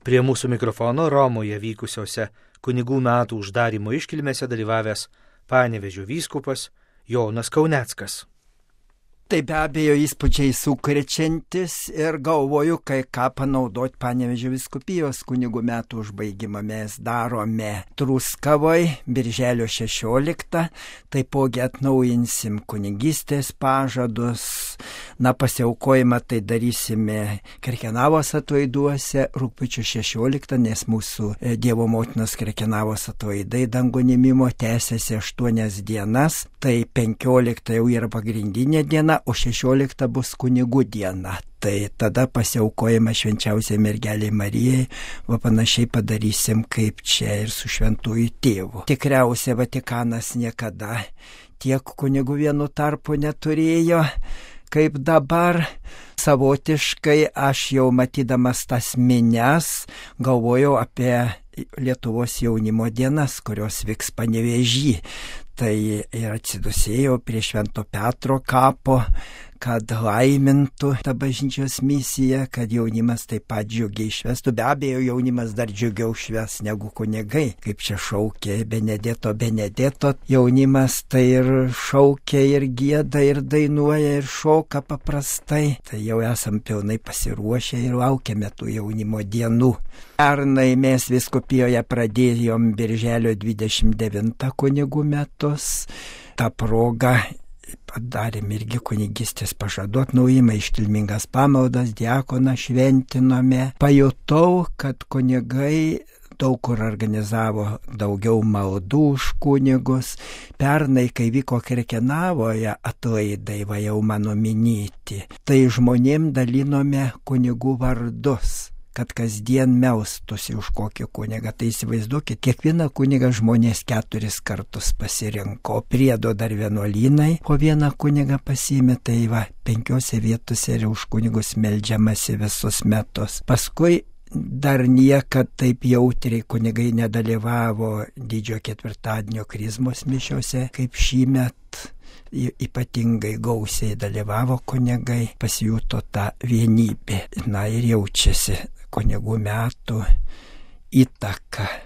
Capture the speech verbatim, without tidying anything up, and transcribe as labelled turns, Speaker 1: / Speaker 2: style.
Speaker 1: Prie mūsų mikrofono Romoje vykusiose kunigų metų uždarymo iškilmėse dalyvavęs Panevėžio vyskupas Jonas Kauneckas.
Speaker 2: Tai be abejo įspūdžiai sukrečiantis ir galvoju, kai ką panaudoti Panevėžio vyskupijos kunigų metų užbaigimą. Mes darome Truskavoje birželio šešioliktą, taipogi atnaujinsim kunigystės pažadus, na pasiaukojimą tai darysime Krekenavos atlaiduose rugpjūčio šešioliktą, nes mūsų Dievo motinos Krekenavos atlaidai dangų ėmimo tęsiasi aštuonias dienas, tai penkiolikta jau yra pagrindinė diena, o šešiolikta bus kunigų diena. Tai tada pasiaukojama švenčiausiai mergelei Marijai, va panašiai padarysim kaip čia ir su šventųjų tėvu. Tikriausiai Vatikanas niekada tiek kunigų vienu tarpu neturėjo, kaip dabar. Savotiškai aš jau matydamas tas minias galvojau apie Lietuvos jaunimo dienas, kurios vyks Panevėžy. Tai ir atsidusėjau prie Švento Petro kapo, kad laimintų tą bažnyčios misiją, kad jaunimas taip pat džiugiai švestų. Be abejo, jaunimas dar džiugiau šves negu kunigai, kaip čia šaukė Benedetto Benedetto. Jaunimas tai ir šaukia, ir gieda, ir dainuoja, ir šoka paprastai. Tai jau esam pilnai pasiruošę ir laukiame tų jaunimo dienų. Pernai mes vyskupijoje pradėjom birželio dvidešimt devintą kunigų metus. Ta proga padarėm irgi kunigystės pažadų atnaujimą, iškilmingas pamaldas, diakoną šventinome. Pajutau, kad kunigai daug kur organizavo daugiau maldų už kunigus. Pernai, kai vyko Krekenavoje atlaidai, va jau mano minėti, tai žmonėm dalinome kunigų vardus, kad kasdien melstųsi už kokį kunigą. Tai įsivaizduokit, kiekvieną kunigą žmonės keturis kartus pasirinko, priedo dar vienuolynai, po vieną kunigą pasiėmė, tai va, penkiose vietose ir už kunigus meldžiamasi visus metus. Paskui dar niekad taip jautriai kunigai nedalyvavo didžiojo ketvirtadienio krizmos mišiose, kaip šįmet. Ypatingai gausiai dalyvavo kunigai, pasijuto tą vienybę. Na ir jaučiasi kunigų metų įtaka